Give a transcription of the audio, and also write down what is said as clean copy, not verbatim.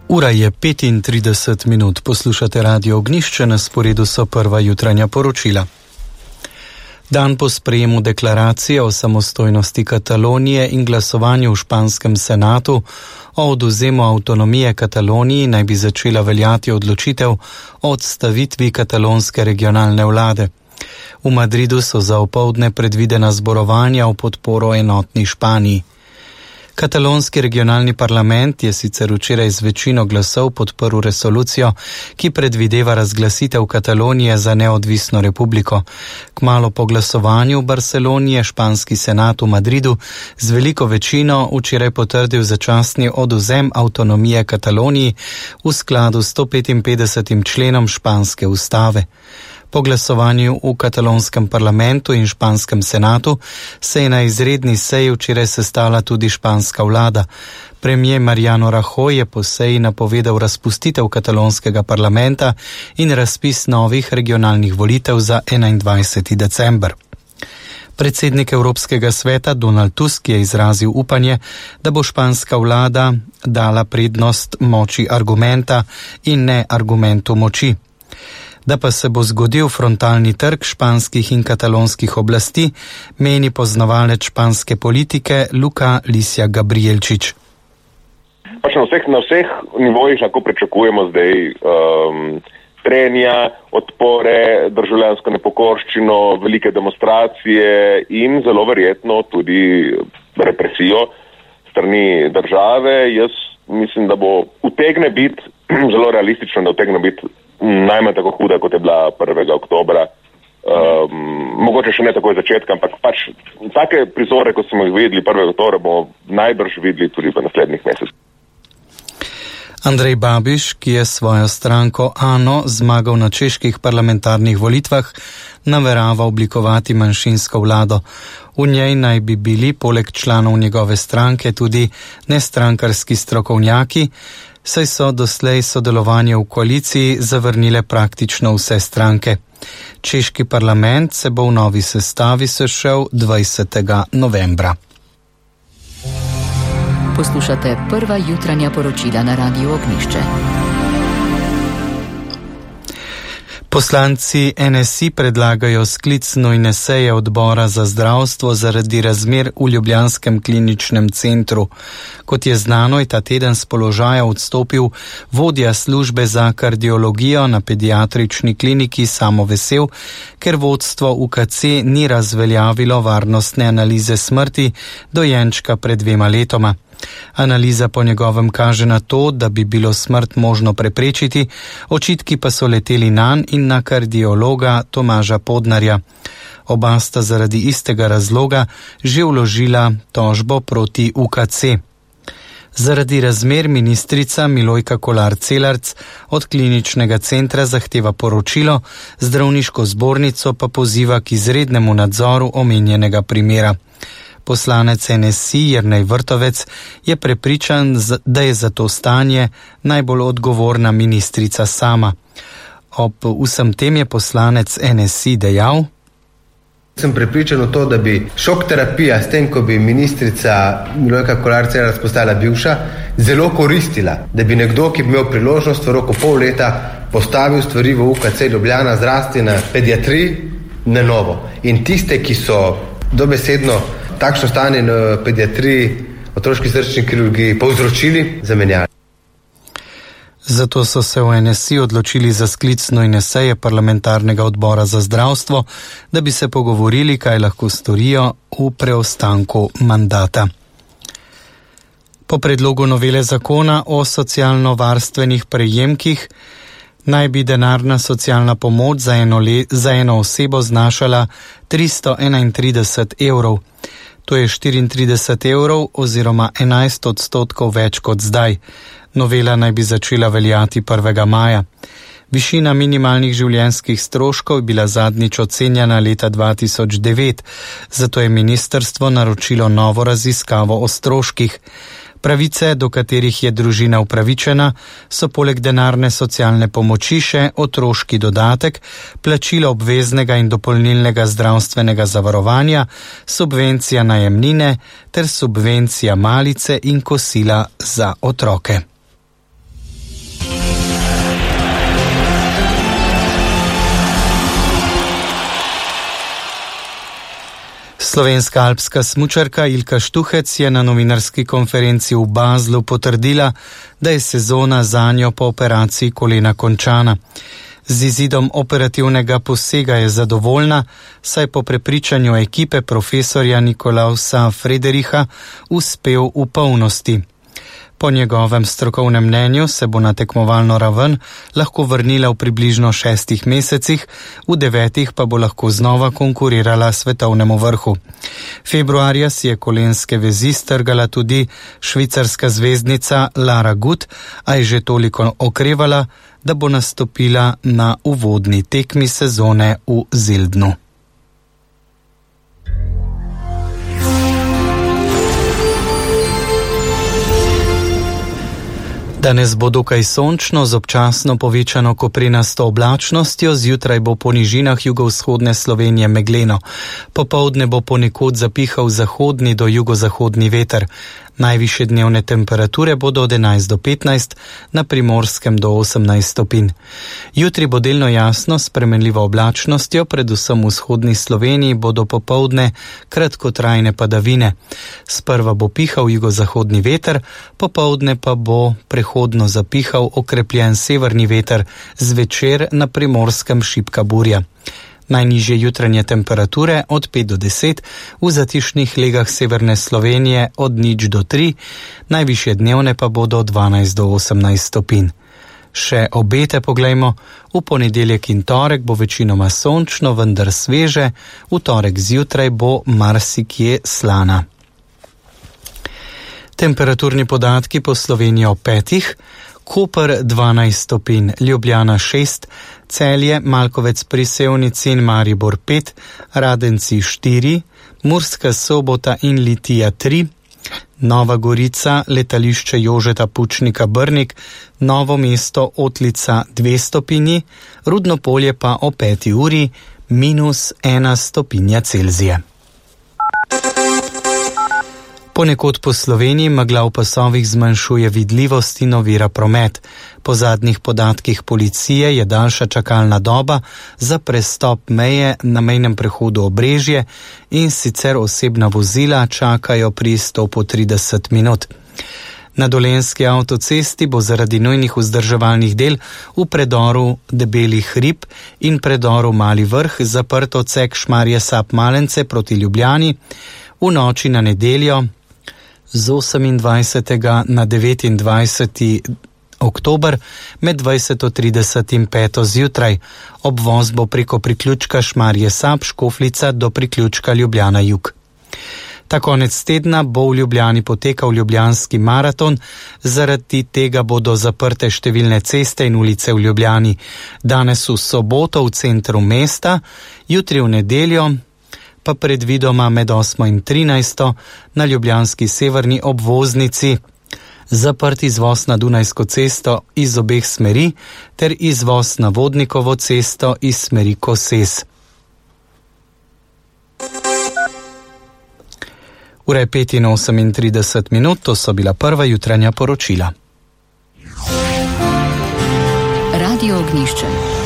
Ura je 35 minut, poslušate Radio Ognjišče, na sporedu so prva jutranja poročila. Dan po sprejemu deklaracije o samostojnosti Katalonije in glasovanju v španskem senatu o odvzemu avtonomije Kataloniji naj bi začela veljati odločitev o odstavitvi katalonske regionalne vlade. V Madridu so za opoldne predvidena zborovanja v podporo enotni Španiji. Katalonski regionalni parlament je sicer včeraj z večino glasov podprl resolucijo, ki predvideva razglasitev Katalonije za neodvisno republiko. Kmalu po glasovanju v Barceloni je španski senat v Madridu z veliko večino včeraj potrdil začasni odvzem avtonomije Kataloniji v skladu s 155. členom španske ustave. Po glasovanju v katalonskem parlamentu in španskem senatu se je na izredni seji včeraj sestala tudi španska vlada. Premier Mariano Rajoy je po seji napovedal razpustitev katalonskega parlamenta in razpis novih regionalnih volitev za 21. december. Predsednik Evropskega sveta Donald Tusk je izrazil upanje, da bo španska vlada dala prednost moči argumenta in ne argumentu moči. Da pa se bo zgodil frontalni trk španskih in katalonskih oblasti, meni poznavalec španske politike Luka Lisja Gabrielčič. Na vseh nivojih lahko pričakujemo zdaj trenja, odpore, državljansko nepokorščino, velike demonstracije in zelo verjetno tudi represijo strani države. Jaz mislim, da bo utegne biti zelo realistično, da utegne biti najmanj tako huda, kot je bila 1. oktobra. Mogoče še ne takoj začetka, ampak take prizore, kot smo jih videli 1. oktobra, bomo najbrž videli tudi v naslednjih mesecih. Andrej Babiš, ki je svojo stranko ANO zmagal na čeških parlamentarnih volitvah, namerava oblikovati manjšinsko vlado. V njej naj bi bili poleg članov njegove stranke tudi nestrankarski strokovnjaki, saj so doslej sodelovanje v koaliciji zavrnile praktično vse stranke. Češki parlament se bo v novi sestavi sešel 20. novembra. Poslušate prva jutranja poročila na Radiu Ognjišče. Poslanci NSI predlagajo sklic nujne seje odbora za zdravstvo zaradi razmer v ljubljanskem kliničnem centru. Kot je znano, je ta teden s položaja odstopil vodja službe za kardiologijo na pediatrični kliniki Samo Vesel, ker vodstvo UKC ni razveljavilo varnostne analize smrti dojenčka pred 2 letoma. Analiza po njegovem kaže na to, da bi bilo smrt možno preprečiti, očitki pa so leteli nanj in na kardiologa Tomaža Podnarja. Oba sta zaradi istega razloga že vložila tožbo proti UKC. Zaradi razmer ministrica Milojka Kolar Celarc od kliničnega centra zahteva poročilo, zdravniško zbornico pa poziva k izrednemu nadzoru omenjenega primera. Poslanec NSI Jernej Vrtovec je prepričan, da je za to stanje najbolj odgovorna ministrica sama. Ob vsem tem je poslanec NSI dejal: Sem prepričan v to, da bi šok terapija s tem, ko bi ministrica Milojka Kolar Celarc postala bivša, zelo koristila, da bi nekdo, ki bi imel priložnost v roku pol leta postavil stvari v UKC Ljubljana, zrasti na pediatriji na novo. In tiste, ki so dobesedno takšno stanje na pediatriji, otroški srčni kirurgiji povzročili, zamenjali. Zato so se v NSI odločili za sklic nujne seje parlamentarnega odbora za zdravstvo, da bi se pogovorili, kaj lahko storijo v preostanku mandata. Po predlogu novele zakona o socialno-varstvenih prejemkih naj bi denarna socialna pomoč za eno osebo znašala 331 evrov. To je 34 evrov oziroma 11% več kot zdaj. Novela naj bi začela veljati 1. maja. Višina minimalnih življenjskih stroškov je bila zadnjič ocenjena leta 2009, zato je ministrstvo naročilo novo raziskavo o stroških. Pravice, do katerih je družina upravičena, so poleg denarne socialne pomoči še otroški dodatek, plačilo obveznega in dopolnilnega zdravstvenega zavarovanja, subvencija najemnine ter subvencija malice in kosila za otroke. Slovenska alpska smučarka Ilka Štuhec je na novinarski konferenci v Baslu potrdila, da je sezona zanjo po operaciji kolena končana. Z izidom operativnega posega je zadovoljna, saj po prepričanju ekipe profesorja Nikolausa Fredericha uspel v polnosti. Po njegovem strokovnem mnenju se bo na tekmovalno raven lahko vrnila v približno 6 mesecih, v 9 pa bo lahko znova konkurirala svetovnemu vrhu. Februarja si je kolenske vezi strgala tudi švicarska zvezdnica Lara Gut, a je že toliko okrevala, da bo nastopila na uvodni tekmi sezone v Zeldnu. Danes bo dokaj sončno z občasno povečano koprenasto oblačnostjo, zjutraj bo po nižinah jugovzhodne Slovenije megleno. Popoldne bo ponekod zapihal zahodni do jugozahodni veter. Najvišje dnevne temperature bodo od 11 do 15, na Primorskem do 18 stopinj. Jutri bo delno jasno s spremenljivo oblačnostjo, predvsem v vzhodni Sloveniji bodo popoldne kratkotrajne padavine. Sprva bo pihal jugozahodni veter, popoldne pa bo prehodno zapihal okrepljen severni veter, zvečer na Primorskem šibka burja. Najnižje jutranje temperature od 5 do 10, v zatišnih legah severne Slovenije od 0 do 3, najvišje dnevne pa bodo od 12 do 18 stopinj. Še obete poglejmo, v ponedeljek in torek bo večinoma sončno, vendar sveže, v torek zjutraj bo marsikje slana. Temperaturni podatki po Sloveniji o 5, Koper 12 stopinj, Ljubljana 6, Celje, Malkovec pri Sevnici in Maribor 5, Radenci 4, Murska Sobota in Litija 3, Nova Gorica, letališče Jožeta Pučnika Brnik, Novo mesto Otlica 2 stopinji, Rudno Polje pa o 5 uri -1 stopinja Celzija. Ponekod po Sloveniji megla v pasovih zmanjšuje vidljivost in ovira promet. Po zadnjih podatkih policije je daljša čakalna doba za prestop meje na mejnem prehodu Obrežje in sicer osebna vozila čakajo pri izstopu 30 minut. Na Dolenjski avtocesti bo zaradi nujnih vzdrževalnih del v predoru Debeli hrib in predoru Mali vrh zaprt odsek Šmarje-Sap-Malence proti Ljubljani v noči na nedeljo z 28. na 29. oktober med 20:30 in 5. zjutraj. Obvoz bo preko priključka Šmarje-Sap, Škofljica do priključka Ljubljana-Jug. Ta konec tedna bo v Ljubljani potekal Ljubljanski maraton, zaradi tega bodo zaprte številne ceste in ulice v Ljubljani. Danes v soboto v centru mesta, jutri v nedeljo pa predvidoma med 8. in 13. na ljubljanski severni obvoznici zaprt izvoz na Dunajsko cesto iz obeh smeri ter izvoz na Vodnikovo cesto iz smeri Koses. Ura je 5:38, to so bila prva jutranja poročila. Radio Ognjišče.